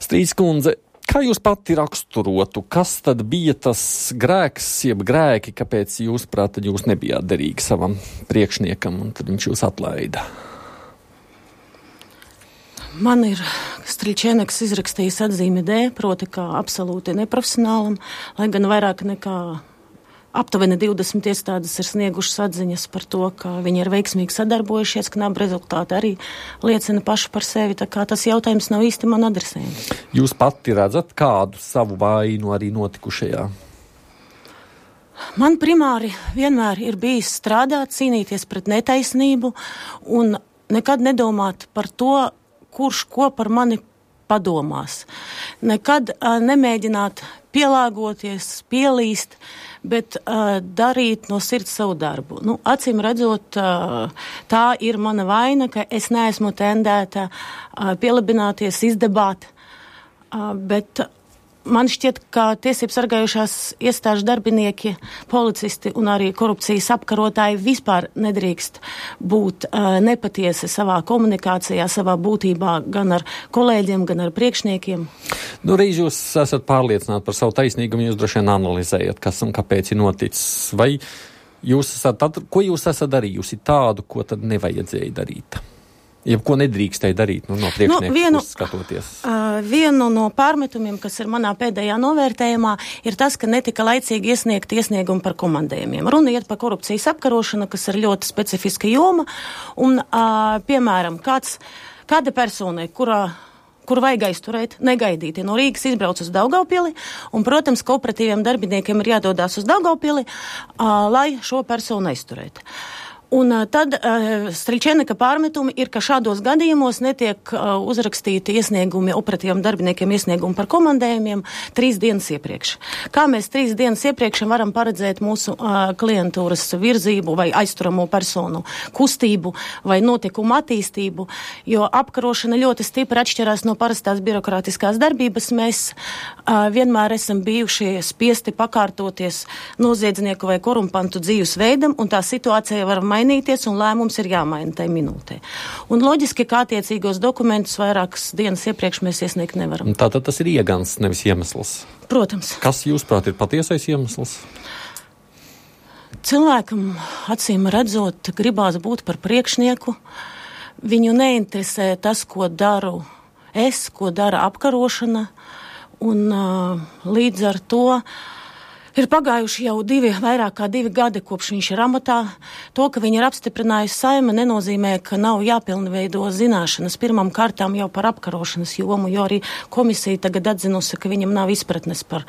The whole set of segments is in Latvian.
Strīds kundze, kā jūs pati raksturotu, kas tad bija tas grēks, jeb grēki, kāpēc jūs prāt, jūs nebijāt derīgi savam priekšniekam un tad viņš jūs atlaida? Man ir Striļčēneks izrakstījis atzīmi D, proti kā absolūti neprofesionālam, lai gan vairāk nekā aptuveni 20 iestādes ir sniegušas atziņas par to, ka viņi ir veiksmīgi sadarbojušies, ka nav rezultāti arī liecina paši par sevi, tā kā tas jautājums nav īsti man adresējams. Jūs pati redzat kādu savu vainu arī notikušajā? Man primāri vienmēr ir bijis strādāt, cīnīties pret netaisnību un nekad nedomāt par to, kurš ko par mani padomās. Nekad nemēģināt pielāgoties, pielīst, bet darīt no sirds savu darbu. Acīm redzot, tā ir mana vaina, ka es neesmu tendēta pielabināties, izdebāt, bet man šķiet, ka tiesības sargājušās iestāžu darbinieki, policisti un arī korupcijas apkarotāji vispār nedrīkst būt nepatiesi savā komunikācijā, savā būtībā gan ar kolēģiem, gan ar priekšniekiem. Reiz jūs esat pārliecināti par savu taisnīgumu, jūs droši vien analizējat, kas un kāpēc ir noticis. Vai jūs ko jūs esat darījusi tādu, ko tad nevajadzēja darīt? Ko nedrīkstēja darīt no priekšnieku skatoties? Vienu no pārmetumiem, kas ir manā pēdējā novērtējumā, ir tas, ka netika laicīgi iesniegt iesniegumu par komandējumiem. Runa iet par korupcijas apkarošanu, kas ir ļoti specifiska joma, un, piemēram, kāda personai, kur vajag aizturēt, negaidīti no Rīgas izbrauc uz Daugavpili, un, protams, kooperatīviem darbiniekiem ir jādodās uz Daugavpili, lai šo personu aizturētu. Un tad Striļčēneka pārmetumi ir, ka šādos gadījumos netiek uzrakstīti iesniegumi operatīviem darbiniekiem iesniegumi par komandējumiem 3 dienas iepriekš. Kā mēs 3 dienas iepriekš varam paredzēt mūsu klientūras virzību vai aizturamo personu kustību vai notikumu attīstību, jo apkarošana ļoti stipri atšķirās no parastās birokrātiskās darbības. Mēs vienmēr esam bijuši spiesti pakārtoties noziedznieku vai korumpantu dzīvesveidam, un tā situācija var mainīties, un lēmums ir jāmaina tajā minūtē. Un loģiski, kā attiecīgos dokumentus vairākas dienas iepriekš mēs iesniegt nevaram. Tātad tas ir iegans, nevis iemesls. Protams. Kas, jūsuprāt, ir patiesais iemesls? Cilvēkam, acīm redzot, gribās būt par priekšnieku. Viņu neinteresē tas, ko daru es, ko dara apkarošana, un līdz ar to ir pagājuši jau vairāk kā 2 gadi, kopš viņš ir amatā. To, ka viņi ir apstiprinājusi Saeima, nenozīmē, ka nav jāpilnveido zināšanas pirmām kārtām jau par apkarošanas jomu, jo arī komisija tagad atzinusi, ka viņam nav izpratnes par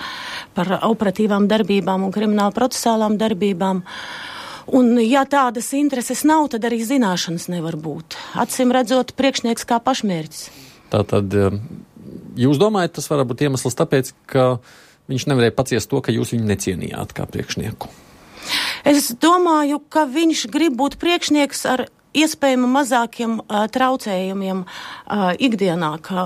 operatīvām darbībām un krimināla procesālām darbībām. Un, ja tādas intereses nav, tad arī zināšanas nevar būt. Acīm redzot, priekšnieks kā pašmērķis. Tātad, jūs domājat, tas var būt iemesls tāpēc, ka viņš nevarēja paciest to, ka jūs viņu necienījāt kā priekšnieku? Es domāju, ka viņš grib būt priekšnieks ar iespējami mazākiem traucējumiem ikdienā, kā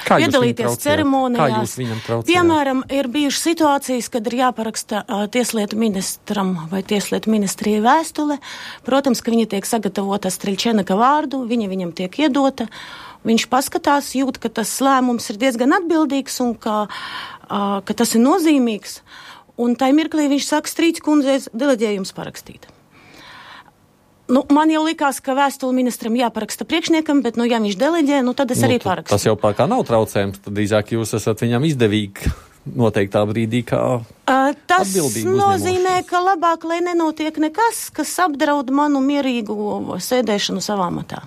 piedalīties ceremonijās. Kā jūs viņam traucējāt? Piemēram, ir bijušas situācijas, kad ir jāparaksta tieslietu ministram vai tieslietu ministrijai vēstule. Protams, ka viņa tiek sagatavota Striļčēneka vārdu, viņam tiek iedota. Viņš paskatās, jūt, ka tas lēmums ir diezgan atbildīgs un ka tas ir nozīmīgs. Un tai mirklī viņš saka, Strīds kundze, deleģējums parakstīt. Man jau likās, ka vēstuli ministram jāparaksta priekšniekam, bet, ja viņš deleģē, tad es arī parakstu. Tas jau kā nav traucējums, tad drīzāk jūs esat viņam izdevīgi noteiktā brīdī kā atbildīgi uzņemošs. Tas nozīmē, ka labāk, lai nenotiek nekas, kas apdraud manu mierīgu sēdēšanu savā matā.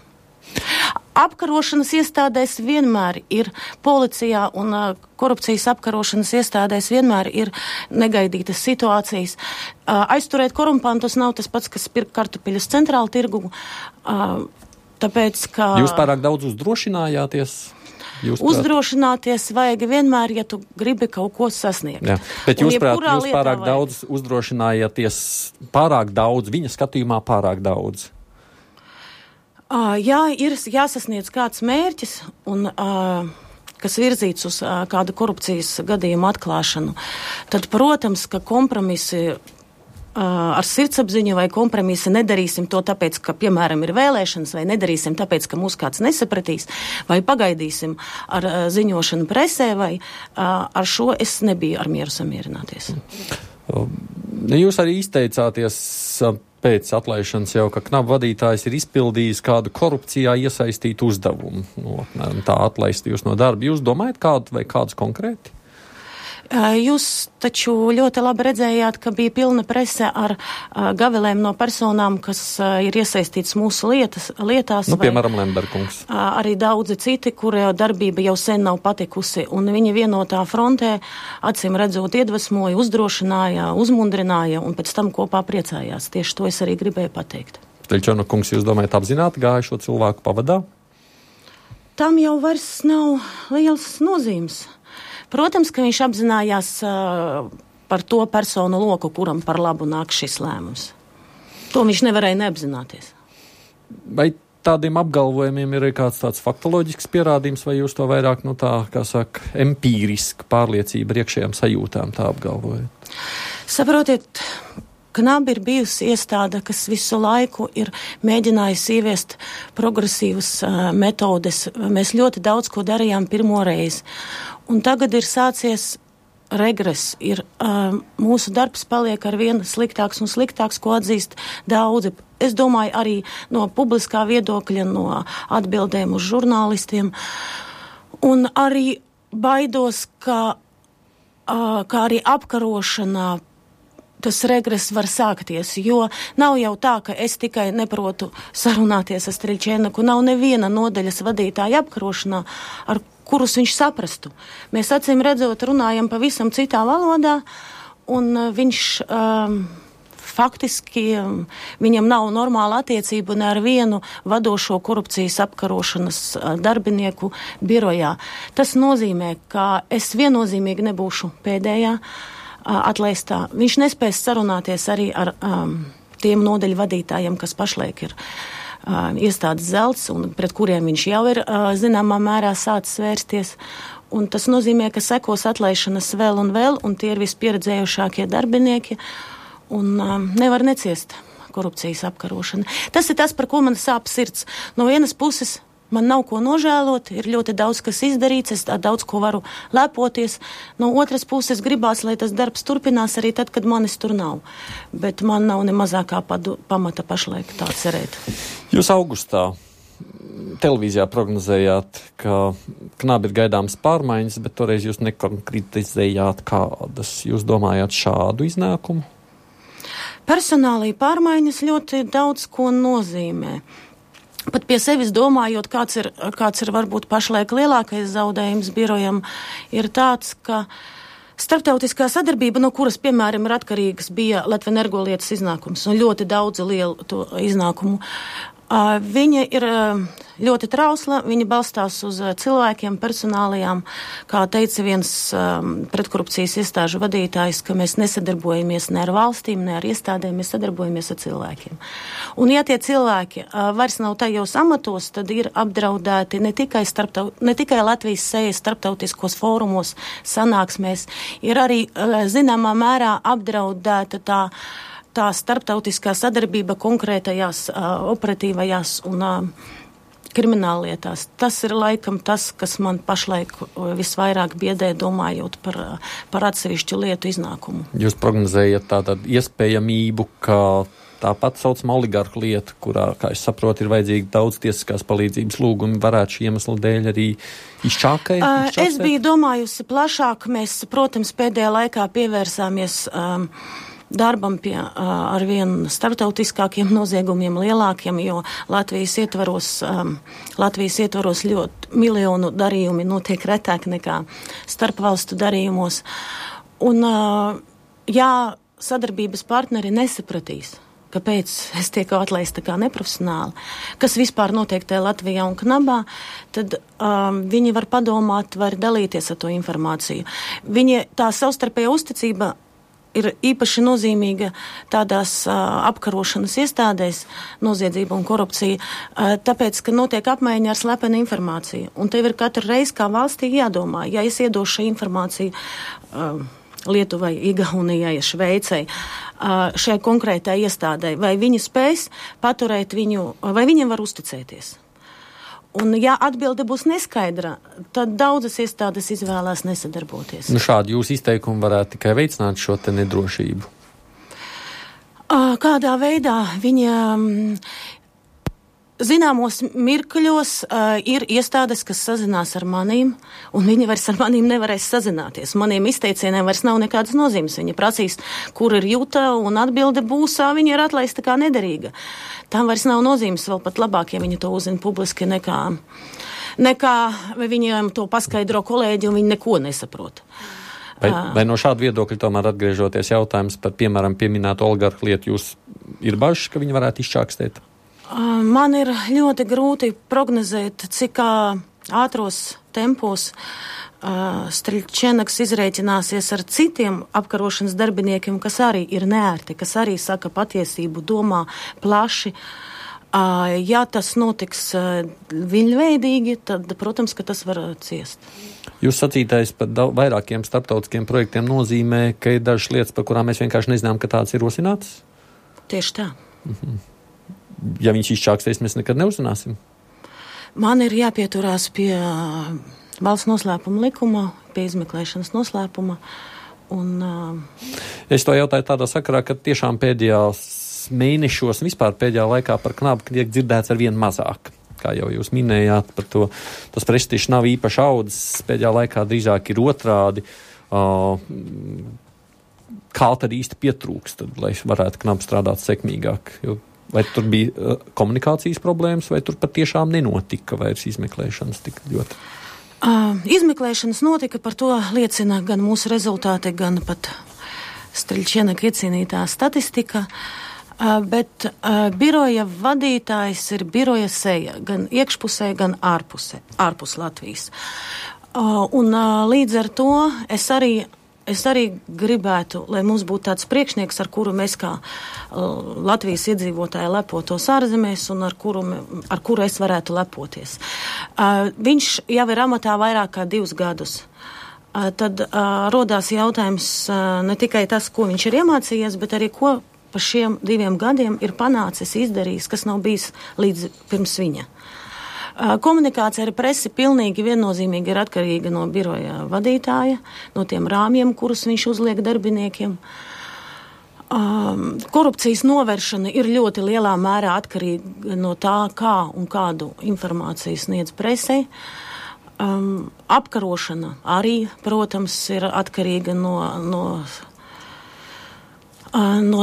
Apkarošanas iestādēs vienmēr ir policijā un korupcijas apkarošanas iestādēs vienmēr ir negaidītas situācijas. Aizturēt korumpantus nav tas pats, kas pirkt kartupeļus centrāla tirgu, tāpēc, ka... Jūs pārāk daudz uzdrošinājāties? Uzdrošināties vajag vienmēr, ja tu gribi kaut ko sasniegt. Jā. Bet jūs pārāk daudz uzdrošinājāties, pārāk daudz, viņa skatījumā pārāk daudz. Jā, ir jāsasniedz kāds mērķis, un, kas virzīts uz kādu korupcijas gadījumu atklāšanu. Tad, protams, ka kompromisi ar sirdsapziņu vai kompromisu, nedarīsim to tāpēc, ka, piemēram, ir vēlēšanas, vai nedarīsim tāpēc, ka mūs kāds nesapratīs, vai pagaidīsim ar ziņošanu presē, vai ar šo es nebiju ar mieru samierināties. Jūs arī izteicāties pēc atlaišanas jau, ka Knaba vadītājs ir izpildījis kādu korupcijā iesaistītu uzdevumu. Tā atlaist jūs no darba. Jūs domājat kādu vai kādus konkrēti? Jūs taču ļoti labi redzējāt, ka bija pilna prese ar gavilēm no personām, kas ir iesaistīts mūsu lietās. Piemēram, Lemberkungs. Arī daudzi citi, kuri darbība jau sen nav patikusi, un viņi vienotā frontē, acīm redzot, iedvesmoja, uzdrošināja, uzmundrināja, un pēc tam kopā priecājās. Tieši to es arī gribēju pateikt. Teļčona kungs, jūs domājat apzināti gāja šo cilvēku pavadā? Tam jau vairs nav liels nozīmes. Protams, ka viņš apzinājās par to personu loku, kuram par labu nāk šis lēmums. To viņš nevarēja neapzināties. Vai tādiem apgalvojumiem ir kāds tāds faktoloģisks pierādījums, vai jūs to vairāk, empīriski pārliecība ar iekšējām sajūtām tā apgalvojat? Saprotiet, Knaba ir bijusi iestāde, kas visu laiku ir mēģinājusi ieviest progresīvas metodes. Mēs ļoti daudz ko darījām pirmo reizi. Un tagad ir sācies regress. Mūsu darbs paliek ar vien sliktāks un sliktāks, ko atzīst daudzi. Es domāju arī no publiskā viedokļa, no atbildēm uz žurnālistiem. Un arī baidos, ka arī apkarošanā tas regress var sākties, jo nav jau tā, ka es tikai neprotu sarunāties ar Striļčēnaku, nav neviena nodaļas vadītāja apkarošanā, ar kurus viņš saprastu. Mēs acīm redzot runājam pavisam citā valodā, un viņš faktiski, viņam nav normāla attiecība ne ar vienu vadošo korupcijas apkarošanas darbinieku birojā. Tas nozīmē, ka es viennozīmīgi nebūšu pēdējā atlaistā. Viņš nespēs sarunāties arī ar tiem nodaļu vadītājiem, kas pašlaik ir iestādes zelts un pret kuriem viņš jau ir zināmā mērā sācis vērsties. Un tas nozīmē, ka sekos atlaišanas vēl, un tie ir vispieredzējušākie darbinieki un nevar neciest korupcijas apkarošana. Tas ir tas, par ko man sāp sirds. No vienas puses man nav ko nožēlot, ir ļoti daudz, kas izdarīts, es daudz ko varu lepoties. No otras puses gribās, lai tas darbs turpinās arī tad, kad manis tur nav. Bet man nav ne mazākā pamata pašlaik tā cerēt. Jūs augustā televīzijā prognozējāt, ka Knaba ir gaidāmas pārmaiņas, bet toreiz jūs nekonkretizējāt kādas. Jūs domājāt šādu iznākumu? Personālī pārmaiņas ļoti daudz ko nozīmē. Pat pie sevis domājot, kāds ir varbūt pašlaik lielākais zaudējums birojam, ir tāds, ka starptautiskā sadarbība, no kuras, piemēram, ir atkarīgas, bija Latvenergolietas iznākums un ļoti daudz lielu to iznākumu. Viņa ir ļoti trausla, viņa balstās uz cilvēkiem, personālajām, kā teica viens pretkorupcijas iestāžu vadītājs, ka mēs nesadarbojamies ne ar valstīm, ne ar iestādēm, mēs sadarbojamies ar cilvēkiem. Un ja tie cilvēki vairs nav tajos amatos, tad ir apdraudēti ne tikai Latvijas sejas starptautiskos fórumos, sanāksmēs, ir arī zināmā mērā apdraudēta tā starptautiskā sadarbība konkrētajās operatīvajās un krimināllietās. Tas ir laikam tas, kas man pašlaik visvairāk biedē, domājot par atsevišķu lietu iznākumu. Jūs prognozējat tātad iespējamību, ka tāpat saucamā oligarhu lieta, kurā, kā es saprotu, ir vajadzīgi daudz tiesiskās palīdzības lūgumi, varētu šī iemesla dēļ arī izčākēt? Es biju domājusi plašāk. Mēs, protams, pēdējā laikā pievērsāmies darbam pie arvien starptautiskākiem noziegumiem, lielākiem, jo Latvijas ietvaros ļoti miljonu darījumi notiek retāk nekā starpvalstu darījumos. Un, ja sadarbības partneri nesapratīs, kāpēc es tieku atlaista kā neprofesionāli, kas vispār notiek tajā Latvijā un Knabā, tad viņi var padomāt, var dalīties ar to informāciju. Tā savstarpējā uzticība ir īpaši nozīmīga tādās apkarošanas iestādēs, noziedzība un korupcija, tāpēc, ka notiek apmaiņa ar slepenu informāciju. Un tev ir katru reizi kā valstī jādomā, ja es iedošu informāciju Lietuvai, Igaunijai, Šveicei, šai konkrētai iestādai, vai viņi spēs paturēt viņu, vai viņiem var uzticēties. Un, ja atbilde būs neskaidra, tad daudzas iestādes izvēlās nesadarboties. Šādi jūsu izteikumi varētu tikai veicināt šo te nedrošību. Kādā veidā viņa zināmos mirkļos ir iestādes, kas sazinās ar manīm, un viņi vairs ar manīm nevarēs sazināties. Maniem izteicieniem vairs nav nekādas nozīmes. Viņa prasīs, kur ir Juta, un atbilde būs, viņa ir atlaista kā nederīga. Tam vairs nav nozīmes, vēl pat labāk, ja viņi to uzzina publiski, nekā viņiem to paskaidro kolēģi, un viņi neko nesaprot. Vai no šāda viedokļa tomēr atgriežoties jautājums par, piemēram, pieminēto oligarhu lietu, jūs ir bažas, ka viņi varētu izčākstēt? Man ir ļoti grūti prognozēt, cik ātros tempos Striļčenaks izrēķināsies ar citiem apkarošanas darbiniekiem, kas arī ir neērti, kas arī saka patiesību, domā plaši. Ja tas notiks viļņveidīgi, tad, protams, ka tas var ciest. Jūs sacītais par vairākiem starptautiskiem projektiem nozīmē, ka ir dažas lietas, par kurām mēs vienkārši nezinām, ka tāds ir rosināts? Tieši tā. Ja viņš izčākstēs, mēs nekad neuzzināsim? Man ir jāpieturās pie valsts noslēpuma likuma, pie izmeklēšanas noslēpuma. Es to jautāju tādā sakarā, ka tiešām pēdējās mēnešos un vispār pēdējā laikā par Knabu tiek dzirdēts ar vien mazāk. Kā jau jūs minējāt par to, tas prestižs nav īpaši audzis, pēdējā laikā drīzāk ir otrādi. Kā tad īsti pietrūkst, tad, lai varētu Knabu strādāt sekmīgāk? Vai tur bija komunikācijas problēmas, vai tur patiešām nenotika vairs izmeklēšanas tik ļoti? Izmeklēšanas notika, par to liecina gan mūsu rezultāti, gan pat Striļčenaka iecienītā statistika. Bet biroja vadītājs ir biroja seja, gan iekšpusē, gan ārpus Latvijas. Un līdz ar to es arī gribētu, lai mums būtu tāds priekšnieks, ar kuru mēs kā Latvijas iedzīvotāji lepotos ārzemēs un ar kuru es varētu lepoties. Viņš jau ir amatā vairāk kā 2 gadus. Tad rodās jautājums ne tikai tas, ko viņš ir iemācījies, bet arī ko pa šiem 2 gadiem ir panācis, izdarījis, kas nav bijis līdz pirms viņa. Komunikācija ar presi pilnīgi viennozīmīgi ir atkarīga no biroja vadītāja, no tiem rāmjiem, kurus viņš uzliek darbiniekiem. Korupcijas novēršana ir ļoti lielā mērā atkarīga no tā, kā un kādu informāciju sniedz presei. Apkarošana arī, protams, ir atkarīga no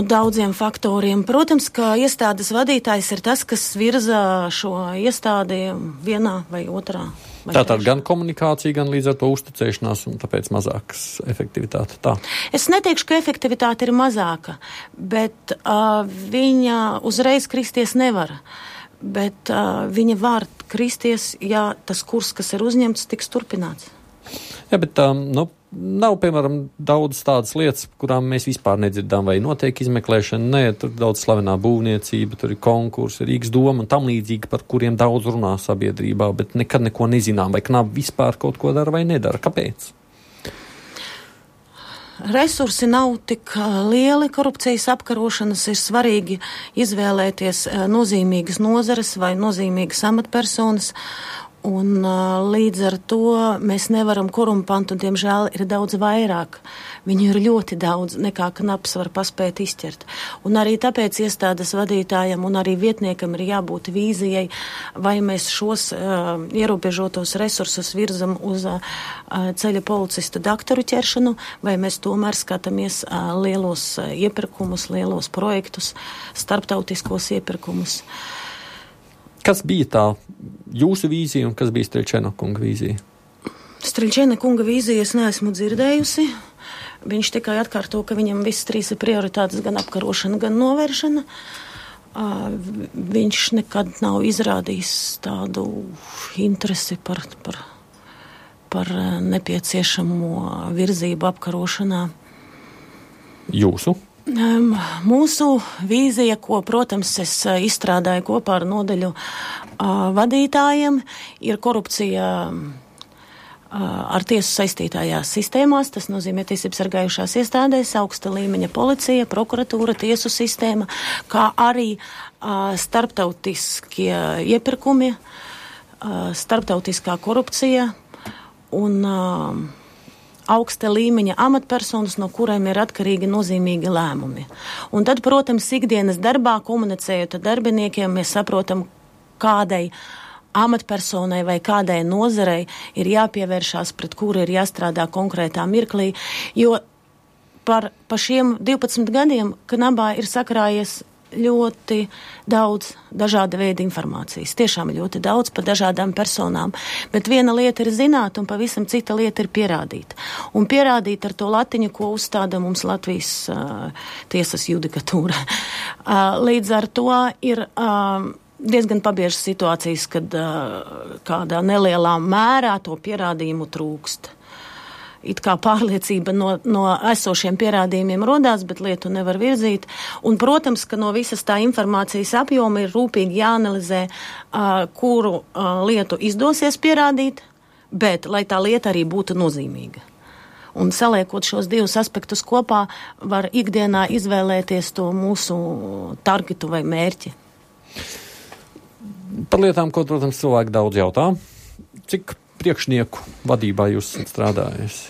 daudziem faktoriem. Protams, ka iestādes vadītājs ir tas, kas virza šo iestādi vienā vai otrā. Tātad gan komunikācija, gan līdz ar to uzticēšanās un tāpēc mazākas efektivitāte. Tā. Es neteikšu, ka efektivitāte ir mazāka, bet viņa uzreiz kristies nevar. Bet viņa var kristies, ja tas kurs, kas ir uzņemts, tiks turpināts. Jā, bet nav, piemēram, daudz tādas lietas, kurām mēs vispār nedzirdām, vai notiek izmeklēšana. Nē, tur daudz slavenā būvniecība, tur ir konkursi, Rīgas doma un tam līdzīgi, par kuriem daudz runā sabiedrībā, bet nekad neko nezinām, vai Knabi vispār kaut ko dara vai nedara. Kāpēc? Resursi nav tik lieli, korupcijas apkarošanas ir svarīgi izvēlēties nozīmīgas nozares vai nozīmīgas amatpersonas. Un līdz ar to mēs nevaram korumpantu, un diemžēl ir daudz vairāk. Viņu ir ļoti daudz, nekā Knabs var paspēt izķert. Un arī tāpēc iestādes vadītājam un arī vietniekam ir jābūt vīzijai, vai mēs šos ierobežotos resursus virzam uz ceļa policista daktoru ķeršanu, vai mēs tomēr skatāmies lielos iepirkumus, lielos projektus, starptautiskos iepirkumus. Kas bija tā jūsu vīzija un kas bija Striļčenaka kunga vīzija? Striļčenaka kunga vīzija es neesmu dzirdējusi. Viņš tikai atkārto, ka viņam visas 3 ir prioritātes, gan apkarošana, gan novēršana. Viņš nekad nav izrādījis tādu interesi par nepieciešamo virzību apkarošanā. Jūsu? Mūsu vīzija, ko, protams, es izstrādāju kopā ar nodaļu vadītājiem, ir korupcija ar tiesu saistītājās sistēmās, tas nozīmē tiesību sargājušās iestādēs, augsta līmeņa policija, prokuratūra, tiesu sistēma, kā arī starptautiskie iepirkumi, starptautiskā korupcija un augsta līmeņa amatpersonas, no kuriem ir atkarīgi nozīmīgi lēmumi. Un tad, protams, ikdienas darbā, komunicējot ar darbiniekiem, mēs saprotam, kādai amatpersonai vai kādai nozarei ir jāpievēršās, pret kuru ir jāstrādā konkrētā mirklī, jo par šiem 12 gadiem Knabā ir sakrājies ļoti daudz dažāda veida informācijas. Tiešām ļoti daudz par dažādām personām. Bet viena lieta ir zināt, un pavisam cita lieta ir pierādīt. Un pierādīt ar to latiņu, ko uzstāda mums Latvijas tiesas judikatūra. Līdz ar to ir diezgan pabiežas situācijas, kad kādā nelielā mērā to pierādījumu trūkst. It kā pārliecība no esošiem pierādījumiem rodās, bet lietu nevar virzīt. Un, protams, ka no visas tā informācijas apjoma ir rūpīgi jāanalizē, kuru lietu izdosies pierādīt, bet lai tā lieta arī būtu nozīmīga. Un saliekot šos divus aspektus kopā, var ikdienā izvēlēties to mūsu targetu vai mērķi. Par lietām, ko, protams, cilvēki daudz jautā. Cik priekšnieku vadībā jūs esat strādājis?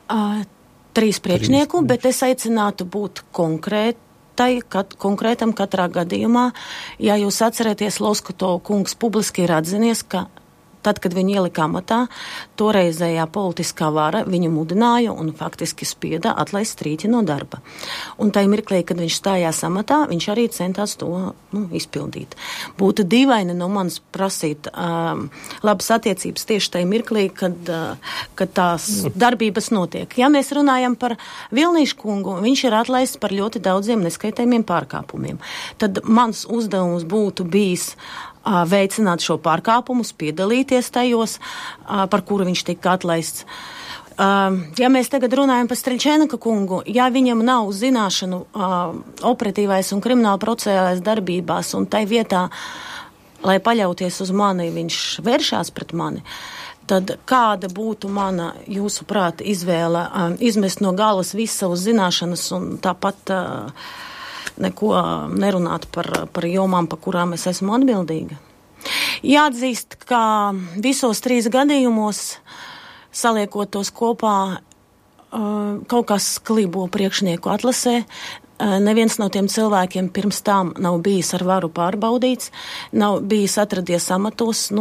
3 priekšnieku, bet es aicinātu būt konkrētam katrā gadījumā. Ja jūs atceraties, Loskuto kungs publiski ir atzinies, ka tad, kad viņu ielika amatā, toreizējā politiskā vara viņu mudināja un faktiski spieda atlaist Strīķi no darba. Un tajā mirklī, kad viņš stājās amatā, viņš arī centās to izpildīt. Būtu dīvaini no manis prasīt labas attiecības tieši tajā mirklī, kad tās darbības notiek. Ja mēs runājam par Vilnīšu kungu, viņš ir atlaists par ļoti daudziem neskaitējumiem pārkāpumiem. Tad mans uzdevums būtu bijis veicināt šo pārkāpumus, piedalīties tajos, par kuru viņš tika atlaists. Ja mēs tagad runājam par Striļčēnaka kungu, ja viņam nav zināšanu operatīvais un krimināla procesālais darbībās, un tai vietā, lai paļauties uz mani, viņš vēršās pret mani, tad kāda būtu mana, jūsuprāt, izvēle izmest no galas visas savas zināšanas un tāpat neko nerunāt par jomām, par kurām es esmu atbildīga. Jāatzīst, ka visos 3 gadījumos, saliekot tos kopā, kaut kas klibo priekšnieku atlasē. Neviens no tiem cilvēkiem pirms tām nav bijis ar varu pārbaudīts, nav bijis atradies amatos,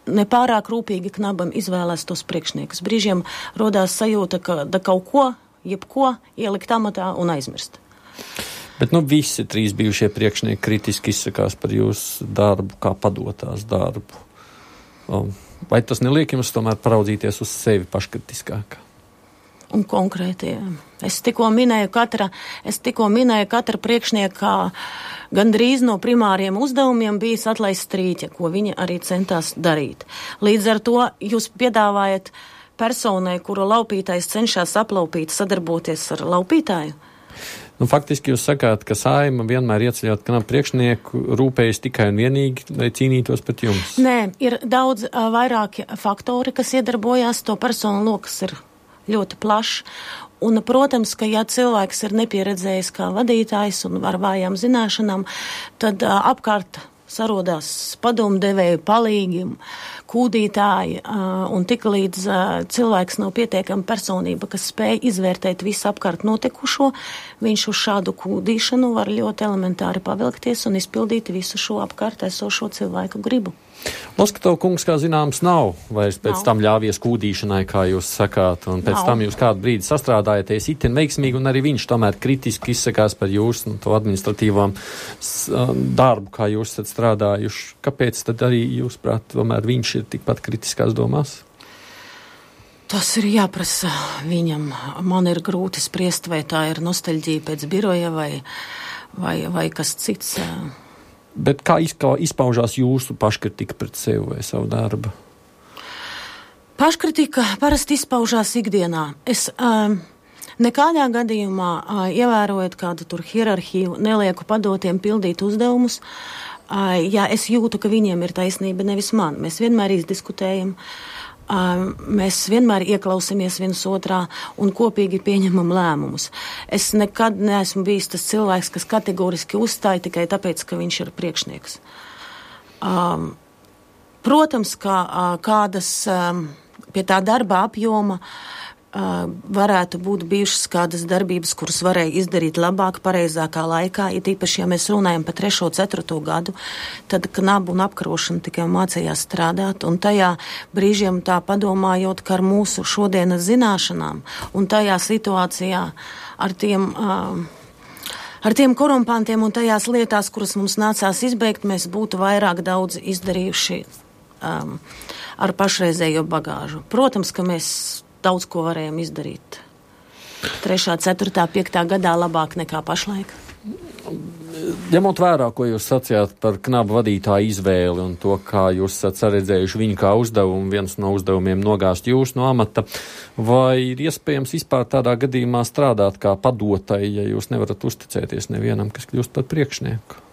nepārāk rūpīgi Knabam izvēlēs tos priekšniekus. Brīžiem rodās sajūta, ka kaut ko, jebko ielikt amatā un aizmirst. Bet visi 3 bijušie priekšnieki kritiski izsakās par jūsu darbu, kā padotās darbu. Vai tas neliek jums tomēr paraudzīties uz sevi paškritiskāk? Un konkrēti, es tikko minēju katra priekšnieka gandrīz no primāriem uzdevumiem bijis atlaist Strīķa, ko viņa arī centās darīt. Līdz ar to jūs piedāvājat personai, kuru laupītājs cenšas aplaupīt, sadarboties ar laupītāju? Faktiski jūs sakāt, ka Saeima vienmēr ieceļot Knabu priekšnieku rūpējas tikai un vienīgi, lai cīnītos pret jums? Nē, ir daudz vairāki faktori, kas iedarbojās, to personu lokas ir ļoti plašs. Un, protams, ka ja cilvēks ir nepieredzējis kā vadītājs un ar vājām zināšanām, tad apkārt sarodās padomdevēju, palīgi, kūdītāji, un tik līdz cilvēks nav pietiekama personība, kas spēj izvērtēt visu apkārt notikušo, viņš uz šādu kūdīšanu var ļoti elementāri pavilkties un izpildīt visu šo apkārt esošo cilvēku gribu. Loskatov kungs, kā zināms, nav vairs pēc tam ļāvies kūdīšanai, kā jūs sakāt, un pēc tam jūs kādu brīdi sastrādājaties itin veiksmīgi, un arī viņš tomēr kritiski izsakās par jūsu to administratīvām darbu, kā jūs esat strādājuši. Kāpēc tad arī jūs prāt, tomēr viņš ir tikpat kritiskās domās? Tas ir jāprasa viņam. Man ir grūti spriest, vai tā ir nostalģija pēc biroja vai kas cits. Bet kā izpaužās jūsu paškritika pret sevi vai savu darbu? Paškritika parasti izpaužās ikdienā. Es nekādā gadījumā, ievērojot kādu tur hierarhiju, nelieku padotiem pildīt uzdevumus. Ja es jūtu, ka viņiem ir taisnība, nevis man. Mēs vienmēr izdiskutējam. Mēs vienmēr ieklausāmies viens otrā un kopīgi pieņemam lēmumus. Es nekad neesmu bijis tas cilvēks, kas kategoriski uzstāja tikai tāpēc, ka viņš ir priekšnieks. Protams, ka kādas pie tā darba apjoma varētu būt bijušas kādas darbības, kuras varēja izdarīt labāk, pareizākā laikā, it īpaši, ja mēs runājam par 3. 4. gadu, tad knabu un apkarošana tikai mācījās strādāt, un tajā brīžiem tā padomājot, ka ar mūsu šodienas zināšanām un tajā situācijā ar tiem korumpantiem un tajās lietās, kuras mums nācās izbeigt, mēs būtu vairāk daudz izdarījuši ar pašreizējo bagāžu. Protams, ka mēs daudz ko varējām izdarīt 3., 4., 5. gadā labāk nekā pašlaik. Ņemot vērā, ko jūs sacījāt par knabu vadītāju izvēli un to, kā jūs esat saredzējuši viņu kā uzdevumu, viens no uzdevumiem nogāzt jūs no amata, vai ir iespējams vispār tādā gadījumā strādāt kā padotai, ja jūs nevarat uzticēties nevienam, kas kļūst par priekšnieku?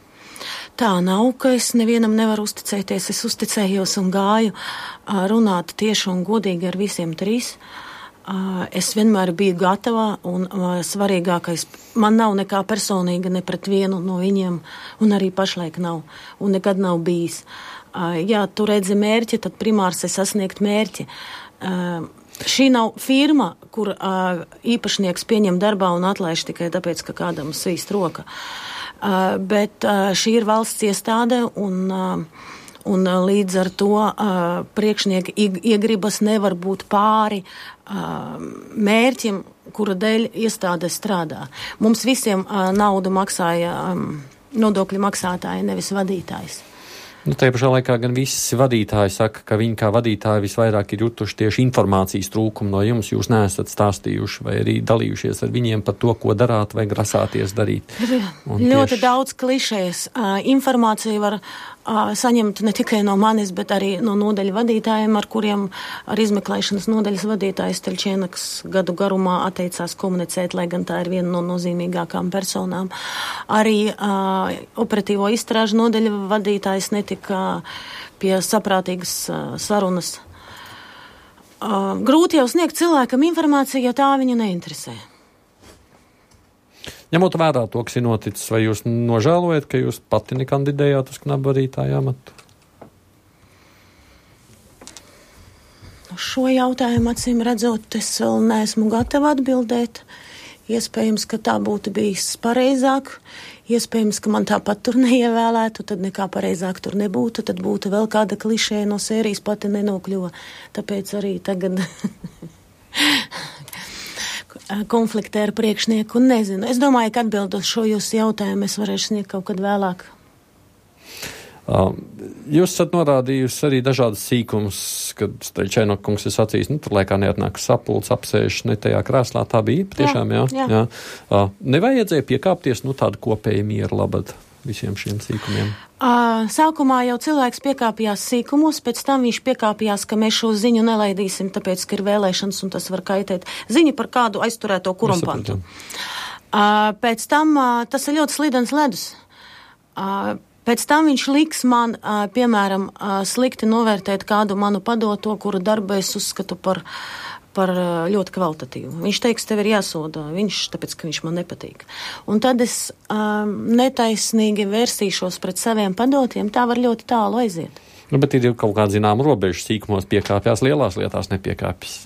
Tā nav, ka es nevienam nevaru uzticēties. Es uzticējos un gāju runāt tieši un godīgi ar visiem 3. Es vienmēr biju gatava un svarīgākais, man nav nekā personīga ne pret vienu no viņiem un arī pašlaik nav un nekad nav bijis. Ja tu redzi mērķi, tad primārs ir sasniegt mērķi. Šī nav firma, kur īpašnieks pieņem darbā un atlaiž tikai tāpēc, ka kādam svīst roka. Bet šī ir valsts iestāde un līdz ar to priekšnieki iegribas nevar būt pāri mērķim, kura dēļ iestāde strādā. Mums visiem naudu maksāja nodokļu maksātāji, nevis vadītājs. Tajā pašā laikā gan visi vadītāji saka, ka viņi kā vadītāji visvairāk ir jutuši tieši informācijas trūkumu no jums. Jūs neesat stāstījuši vai arī dalījušies ar viņiem par to, ko darāt vai grasāties darīt. Ļoti daudz klišējas. Informāciju var saņemt ne tikai no manis, bet arī no nodaļu vadītājiem, ar kuriem ar izmeklēšanas nodaļas vadītājs Teļčēnaks gadu garumā atteicās komunicēt, lai gan tā ir viena no nozīmīgākām personām. Arī operatīvo izstrāžu nodaļa vadītājs netika pie saprātīgas sarunas. Grūti jau sniegt cilvēkam informāciju, ja tā viņu neinteresē. Ņemot vērā to, kas ir noticis, vai jūs nožēlojat, ka jūs pati nekandidējāt uz knabu vadītāju amatu? Šo jautājumu acīm redzot, es vēl neesmu gatava atbildēt. Iespējams, ka tā būtu bijis pareizāk. Iespējams, ka man tāpat tur neievēlētu, tad nekā pareizāk tur nebūtu. Tad būtu vēl kāda klišēja no sērijas pati nenokļuva. Tāpēc arī tagad konfliktē ar priekšnieku un nezinu. Es domāju, ka atbildot šo jūsu jautājumu es varēšu sniegt kaut kad vēlāk. Jūs esat norādījusi arī dažādas sīkumus, kad Teļčēnokungs ir sacījis, tur laikā neatnāk sapulcs, apsēž ne tajā krēslā. Tā bija patiešām, jā. Nevajadzēja piekāpties, tāda kopēja miera labad visiem šiem sīkumiem? Sākumā jau cilvēks piekāpjās sīkumos, pēc tam viņš piekāpjās, ka mēs šo ziņu nelaidīsim, tāpēc, ka ir vēlēšanas un tas var kaitēt. Ziņa par kādu aizturēto kurumpantu. Pēc tam tas ir ļoti slidens ledus. Pēc tam viņš liks man, piemēram, slikti novērtēt kādu manu padoto, kuru darbu es uzskatu par ļoti kvalitatīvu. Viņš teiks, tev ir jāsoda, tāpēc, ka viņš man nepatīk. Un tad es netaisnīgi vērsīšos pret saviem padotiem, tā var ļoti tālu aiziet. Bet ir kaut kāda zināma robeža, sīkumos piekāpjās, lielās lietās nepiekāpjas.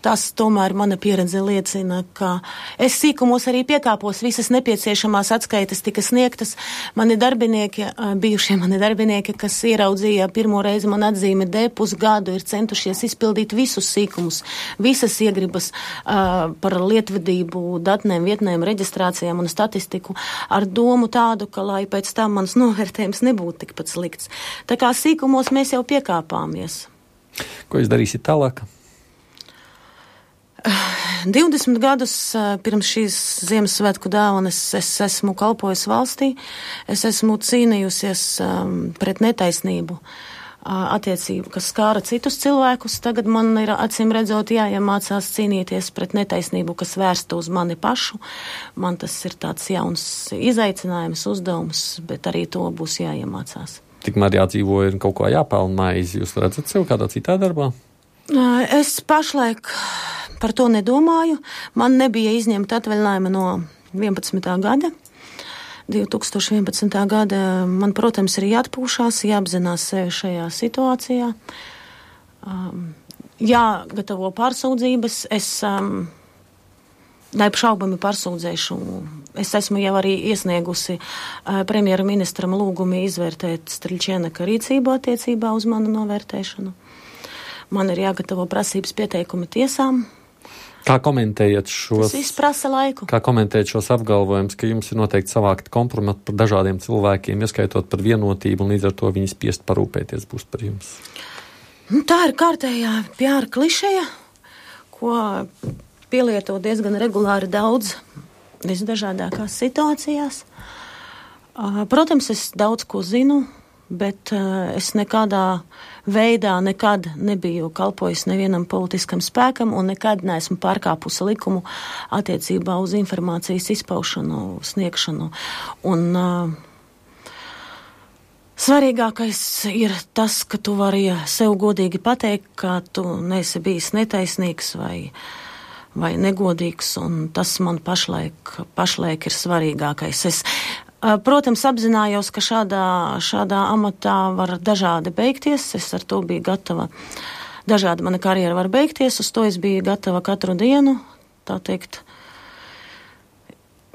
Tas tomēr mana pieredze liecina, ka es sīkumos arī piekāpos, visas nepieciešamās atskaites tika sniegtas. Bijušie mani darbinieki, kas ieraudzīja pirmo reizi man atzīmi D pusgadu, ir centušies izpildīt visus sīkumus, visas iegribas par lietvedību, datnēm, vietnēm, reģistrācijām un statistiku ar domu tādu, ka lai pēc tam mans novērtējums nebūtu tikpat slikts. Tā kā sīkumos mēs jau piekāpāmies. Ko jūs darīsiet tālāk? 20 gadus pirms šīs Ziemassvētku dāvanas es esmu kalpojis valstī, es esmu cīnījusies pret netaisnību attiecību, kas skāra citus cilvēkus. Tagad man ir acīm redzot jāiemācās cīnīties pret netaisnību, kas vērsta uz mani pašu. Man tas ir tāds jauns izaicinājums, uzdevums, bet arī to būs jāiemācās. Tikmēr jādzīvo ir kaut ko jāpelna maizi. Jūs redzat sev kādā citā darbā? Es pašlaik par to nedomāju. Man nebija izņemta atvaļinājuma no 11. gada. 2011. gada man, protams, ir jāatpūšās, jāapzinās sevi šajā situācijā, jāgatavo pārsūdzības. Es neapšaubami pārsūdzēšu. Es esmu jau arī iesniegusi premjera ministram lūgumu izvērtēt Striļčēnaka rīcību attiecībā uz manu novērtēšanu. Man ir jāgatavo prasības pieteikumi tiesām. Kā komentējat šos? Tas viss prasa laiku. Kā komentējat šos apgalvojumus, ka jums ir noteikti savākti kompromati par dažādiem cilvēkiem, ieskaitot par vienotību, un līdz ar to viņi spiest parūpēties būs par jums? Tā ir kārtējā PR klišeja, ko pielieto diezgan regulāri daudz visdažādākās situācijās. Protams, es daudz ko zinu, bet es nekādā veidā nekad nebiju kalpojis nevienam politiskam spēkam un nekad neesmu pārkāpusi likumu attiecībā uz informācijas izpaušanu, sniegšanu. Un svarīgākais ir tas, ka tu vari sev godīgi pateikt, ka tu neesi bijis netaisnīgs vai negodīgs, un tas man pašlaik ir svarīgākais. Es protams, apzinājos, ka šādā amatā var dažādi beigties. Es ar to biju gatava. Dažādi mana karjera var beigties, uz to es biju gatava katru dienu. Tā teikt,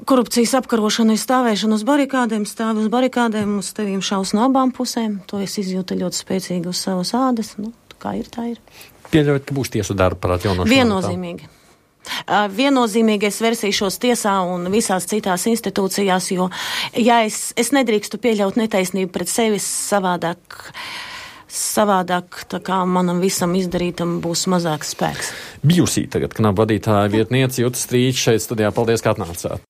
korupcijas apkarošana ir stāvēšana uz barikādēm, stāvi uz barikādēm, uz tevīm šaus no abām pusēm. To es izjūtu ļoti spēcīgi uz savas ādas. Kā ir, tā ir. Pieļaujat, ka būs tiesu darba par atjaunošanu? Viennozīmīgi. Viennozīmīgi es versīšos tiesā un visās citās institūcijās, jo ja es nedrīkstu pieļaut netaisnību pret sevi, savādāk tā kā manam visam izdarītam būs mazāks spēks. Bijusī tagad knaba vadītāja vietniece Juta Strīča šeit studijā. Paldies, ka atnācāt.